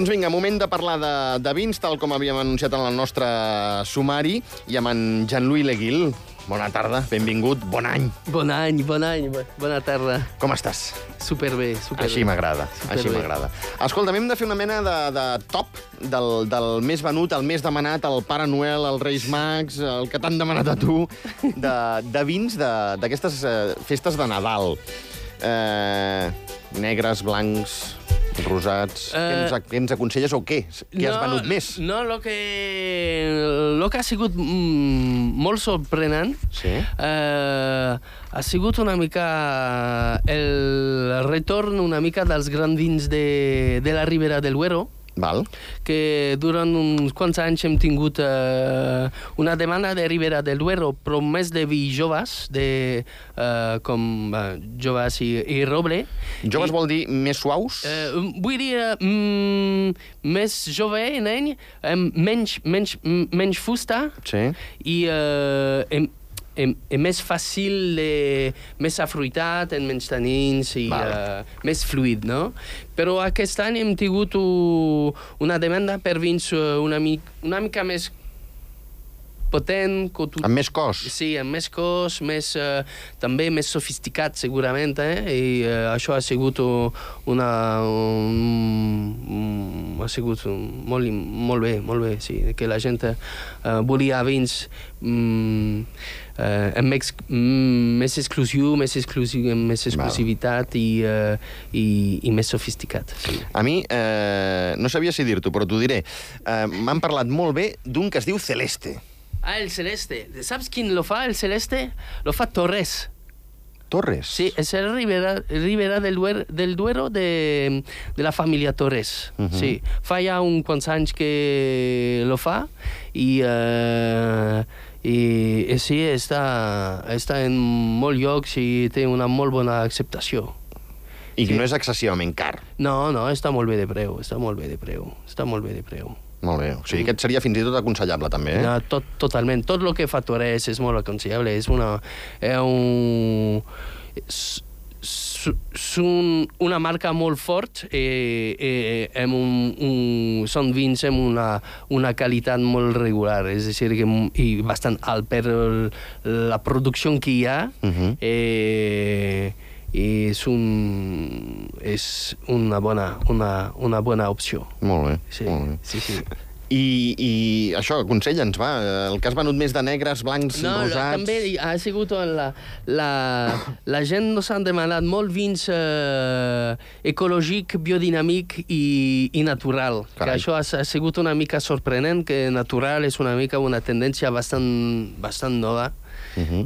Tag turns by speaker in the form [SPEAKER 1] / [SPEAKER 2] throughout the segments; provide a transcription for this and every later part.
[SPEAKER 1] Doncs vinga, moment de parlar de vins, tal com havíem anunciat en el nostre sumari, i amb en Jean-Louis Leguil. Bona tarda, benvingut, bon any.
[SPEAKER 2] Bon any, bona tarda.
[SPEAKER 1] Com estàs?
[SPEAKER 2] Superbé, superbé.
[SPEAKER 1] Així m'agrada, així m'agrada. Escolta, hem de fer una mena de top del més venut, el més demanat, el Pare Noel, el Reis Mags, el que t'han demanat a tu, de vins d'aquestes festes de Nadal. Negres, blancs, rosats... Què ens aconselles o què? Què has venut més?
[SPEAKER 2] No, lo que ha sigut molt sorprenent ha sigut una mica el retorn una mica dels grans vins de la Ribera del Duero,
[SPEAKER 1] Val.
[SPEAKER 2] Que durant uns quants anys hem tingut una demanda de Ribera del Duero, però més de vi joves, com joves i roble.
[SPEAKER 1] Joves vol dir més suaus?
[SPEAKER 2] Vull dir més jove, nen, menys fusta,
[SPEAKER 1] Sí.
[SPEAKER 2] i més fàcil, més afruitat, amb menys tanins i més fluid, no? Però aquest any hem tingut una demanda per vins una mica més potent.
[SPEAKER 1] Amb més cos?
[SPEAKER 2] Sí, amb més cos, també més sofisticat, segurament, i això ha sigut molt bé, sí, que la gent volia vins amb més exclusivitat i més sofisticat. Sí.
[SPEAKER 1] A mi, no sabia si dir-t'ho, però t'ho diré. M'han parlat molt bé d'un que es diu Celeste.
[SPEAKER 2] Ah, el Celeste. ¿Sabes quién lo fa, el Celeste? Lo fa Torres.
[SPEAKER 1] Torres?
[SPEAKER 2] Sí, es el Ribera del Duero de la familia Torres. Sí, fa ja uns quants anys que lo fa i sí, està en molts llocs i té una molt bona acceptació.
[SPEAKER 1] I no és excessivament car?
[SPEAKER 2] No, està molt bé de preu,
[SPEAKER 1] Molt bé. O sigui que et seria fins i tot aconsellable, també, eh?
[SPEAKER 2] No, totalment. Tot el que fa Torres és molt aconsellable. És una marca molt fort, són vins amb una qualitat molt regular, és a dir, i bastant alt per la producció que hi ha, i és una bona opció.
[SPEAKER 1] Molt bé,
[SPEAKER 2] sí,
[SPEAKER 1] molt bé.
[SPEAKER 2] Sí.
[SPEAKER 1] I això, aconsella'ns, va, el que has venut més de negres, blancs, rosats...
[SPEAKER 2] No, també ha sigut la gent nos han demanat molt vins ecològic, biodinàmic i natural. Que això ha sigut una mica sorprenent, que natural és una mica una tendència bastant nova,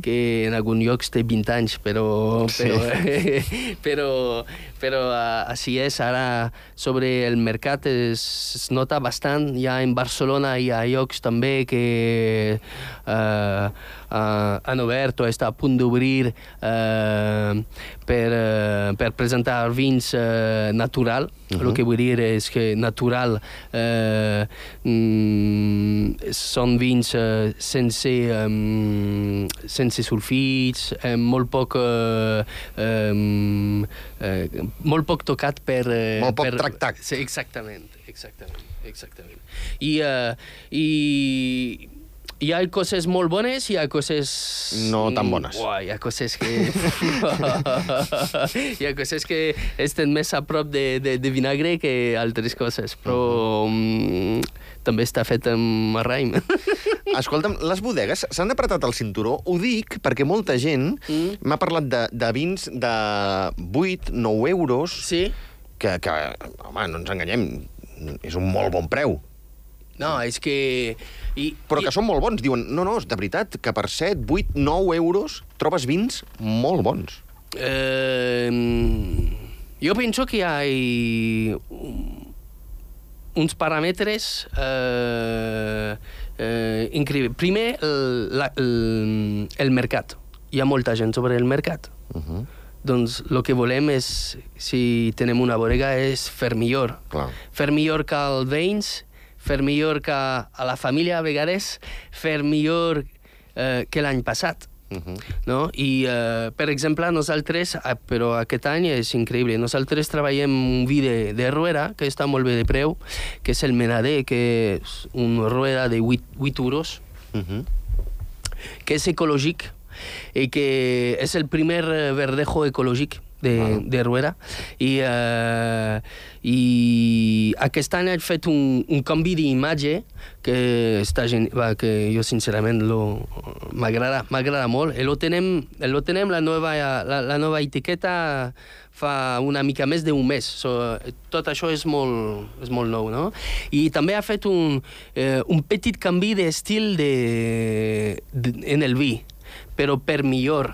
[SPEAKER 2] que en alguns llocs té 20 anys, però així és. Ara, sobre el mercat es nota bastant. Ja en Barcelona hi ha llocs també que han obert o està a punt d'obrir per presentar vins natural. El que vull dir és que natural són vins sense sulfits, molt poc tocat per...
[SPEAKER 1] Molt poc tractat.
[SPEAKER 2] Sí, exactament. Hi ha coses molt bones i hi ha coses...
[SPEAKER 1] No tan bones.
[SPEAKER 2] Hi ha coses que... hi ha coses que estan més a prop de vinagre que altres coses, però també està fet amb raïm.
[SPEAKER 1] Escolta'm, les bodegues s'han apretat el cinturó? Ho dic perquè molta gent m'ha parlat de vins de 8-9 euros, que, home, no ens enganyem, és un molt bon preu.
[SPEAKER 2] No, és que...
[SPEAKER 1] Però que són molt bons. Diuen, no, de veritat, que per 7, 8, 9 euros trobes vins molt bons.
[SPEAKER 2] Jo penso que hi ha uns paràmetres increïbles. Primer, el mercat. Hi ha molta gent sobre el mercat. Doncs el que volem és, si tenim una bodega, és fer millor. Fer millor que els veïns, fer millor que a la família a vegades, fer millor que l'any passat. no? I, per exemple, nosaltres, però aquest any és increïble, nosaltres treballem un vi de Rueda, que està molt bé de preu, que és el Menader, que és un Rueda de 8 euros, que és ecològic, i que és el primer verdejo ecològic de Rueda. I aquest any he fet un canvi d'imatge que jo sincerament m'agrada molt. Lo tenem la nova etiqueta fa una mica més d'un mes. Tot això és molt nou, no? I també ha fet un petit canvi d'estil en el vi, però per millor.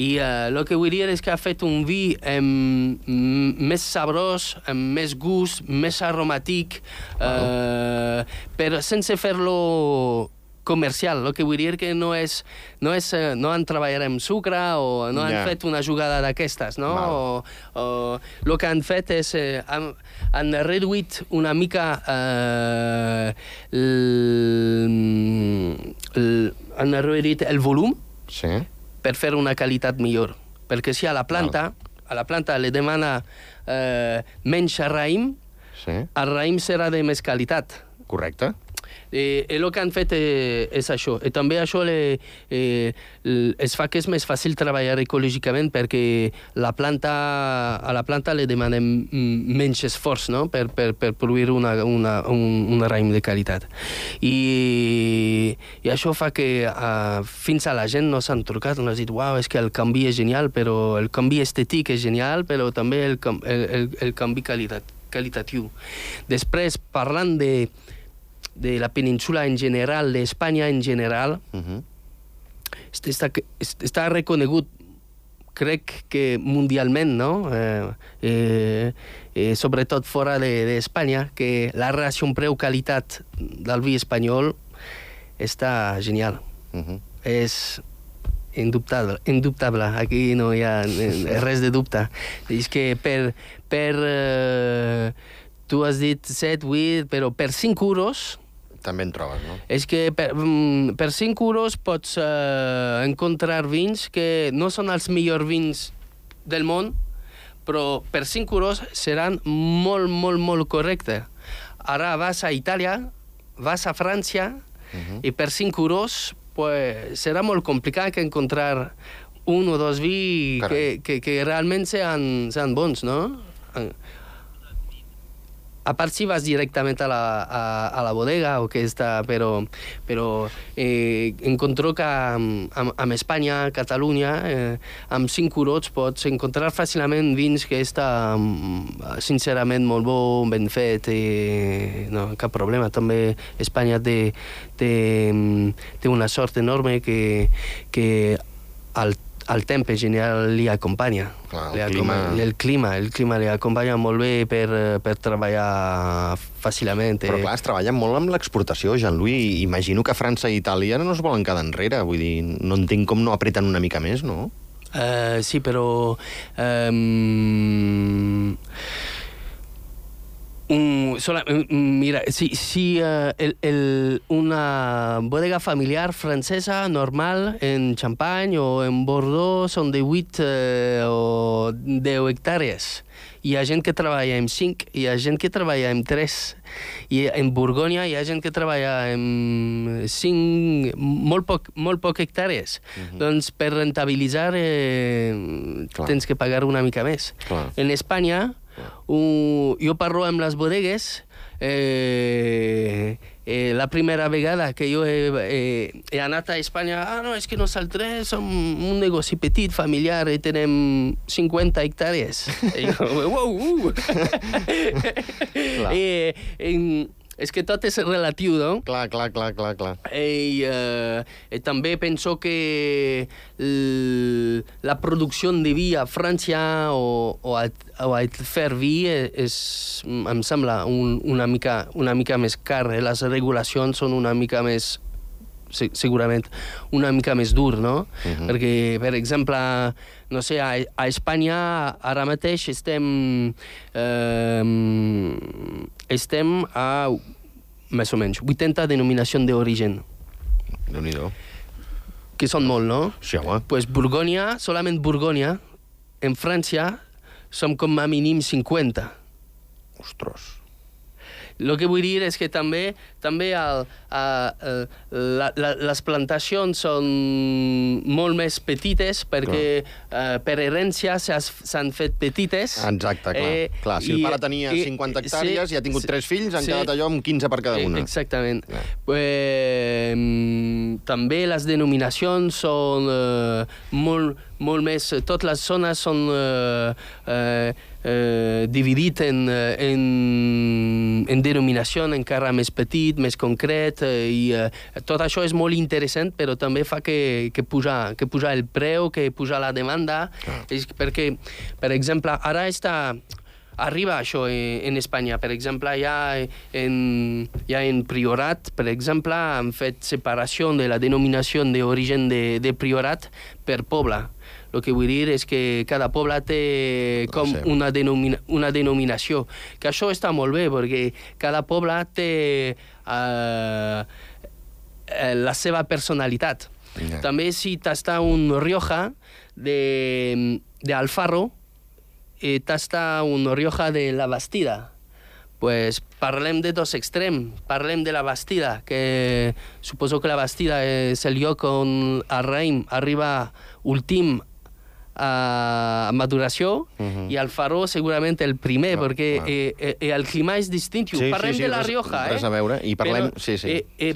[SPEAKER 2] I el que vull dir és que ha fet un vi més sabrós, amb més gust, més aromàtic, però sense fer-lo comercial. El que vull dir que no han treballat amb sucre o no han fet una jugada d'aquestes, no? El que han fet és han reduït una mica han reduït el volum per fer una qualitat millor. Perquè si a la planta li demana menys raïm, el raïm serà de més qualitat.
[SPEAKER 1] Correcte.
[SPEAKER 2] El que han fet és això. I també això es fa que és més fàcil treballar ecològicament perquè a la planta li demanem menys esforç, no? per produir un raïm de qualitat. I això fa que fins a la gent no s'han trucat, no han dit, uau, és que el canvi és genial, però el canvi estètic és genial, però també el canvi qualitatiu. Després, parlant de la península en general, d'Espanya en general, està reconegut, crec que mundialment, no? Sobretot fora d'Espanya, que la relació preu-qualitat del vi espanyol està genial. És indubtable. Aquí no hi ha res de dubte. És que tu has dit 7, 8, però per 5 euros...
[SPEAKER 1] També en trobes, no?
[SPEAKER 2] És que per 5 euros pots encontrar vins que no són els millors vins del món, però per 5 euros seran molt, molt, molt correctes. Ara vas a Itàlia, vas a França, i per 5 euros serà molt complicat encontrar un o dos vi que realment sean bons, no? A part si vas directament a la bodega o que està, però encontro que amb Espanya, Catalunya, amb 5 euros pots encontrar fàcilment vins que està sincerament molt bo, ben fet, no, cap problema. També Espanya té una sort enorme que el temps en general li acompanya. El clima li acompanya molt bé per treballar fàcilment.
[SPEAKER 1] Però clar, es treballa molt amb l'exportació, Jean-Louis. Imagino que França i Itàlia no es volen quedar enrere. Vull dir, no entenc com no apreten una mica més, no?
[SPEAKER 2] Sí, però... mira, si una bodega familiar francesa normal en Champagne o en Bordeaux són de 8 o 10 hectàrees. Hi ha gent que treballa amb 5, hi ha gent que treballa amb 3. I en Borgonya hi ha gent que treballa amb 5, molt poc hectàrees. Doncs per rentabilitzar tens que pagar una mica més. En Espanya, jo parlo amb les bodegues, la primera vegada que jo he anat a Espanya, no, és que nosaltres som un negoci petit, familiar, i tenem 50 hectàrees. I jo, uau! És que tot és relatiu, no?
[SPEAKER 1] Clar.
[SPEAKER 2] I també penso que la producció de vi a França o a fer vi em sembla una mica més car. Les regulacions són una mica més, segurament, una mica més dur, no? Perquè, per exemple, no sé, a Espanya ara mateix estem a més o menys 80 denominacions d'origen.
[SPEAKER 1] Déu-n'hi-do.
[SPEAKER 2] que són molt, no?
[SPEAKER 1] Sí, home.
[SPEAKER 2] Pues Borgonya, solament Borgonya, en França, som com a mínim 50.
[SPEAKER 1] Ostres.
[SPEAKER 2] El que vull dir és que també les plantacions són molt més petites perquè per herència s'han fet petites.
[SPEAKER 1] Exacte, clar. Si el pare tenia 50 hectàrees i ha tingut 3 fills, han quedat allò amb 15 per cada una.
[SPEAKER 2] Exactament. També les denominacions són molt més... Totes les zones són dividit en denominació encara més petit, més concret, i tot això és molt interessant, però també fa que puja el preu, que puja la demanda, perquè, per exemple, ara arriba això en Espanya. Per exemple, ja en Priorat, per exemple, han fet separació de la denominació d'origen de Priorat per poble. El que vull dir és que cada poble té com una denominació. Que això està molt bé, perquè cada poble té la seva personalitat. També si t'està un Rioja d'Alfarro, t'està un Rioja de la Bastida. Pues parlem de dos extrems. Parlem de la Bastida, que suposo que la Bastida és el lloc on el raïm arriba últim a maduració, i el Faro segurament el primer, perquè el clima és distintiu. Parlem de la Rioja,
[SPEAKER 1] res a veure, i parlem...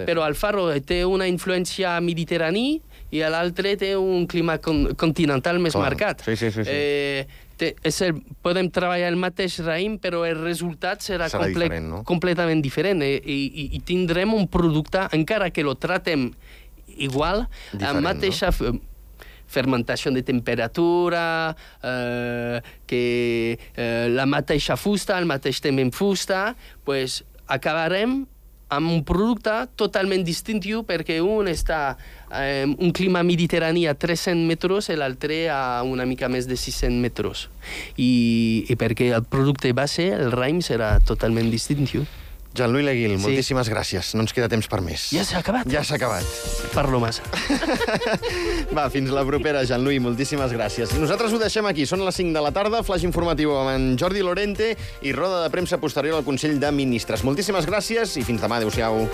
[SPEAKER 2] Però el Faro té una influència mediterrània i l'altre té un clima continental més marcat. Podem treballar el mateix raïm, però el resultat serà completament diferent, i tindrem un producte, encara que lo tratem igual, amb mateixa fermentació de temperatura, que la mateixa fusta, el mateix temps en fusta, pues acabarem amb un producte totalment distintiu, perquè un està en un clima mediterrani a 300 metres i l'altre a una mica més de 600 metres. I perquè el producte base, el raïm, serà totalment distintiu.
[SPEAKER 1] Jean-Louis Leguil, moltíssimes gràcies. No ens queda temps per més.
[SPEAKER 2] Ja s'ha acabat?
[SPEAKER 1] Ja s'ha acabat.
[SPEAKER 2] Parlo massa.
[SPEAKER 1] Va, fins la propera, Jean-Louis. Moltíssimes gràcies. Nosaltres ho deixem aquí. Són les 5 de la tarda, flash informatiu amb en Jordi Lorente i roda de premsa posterior al Consell de Ministres. Moltíssimes gràcies i fins demà. Adéu-siau.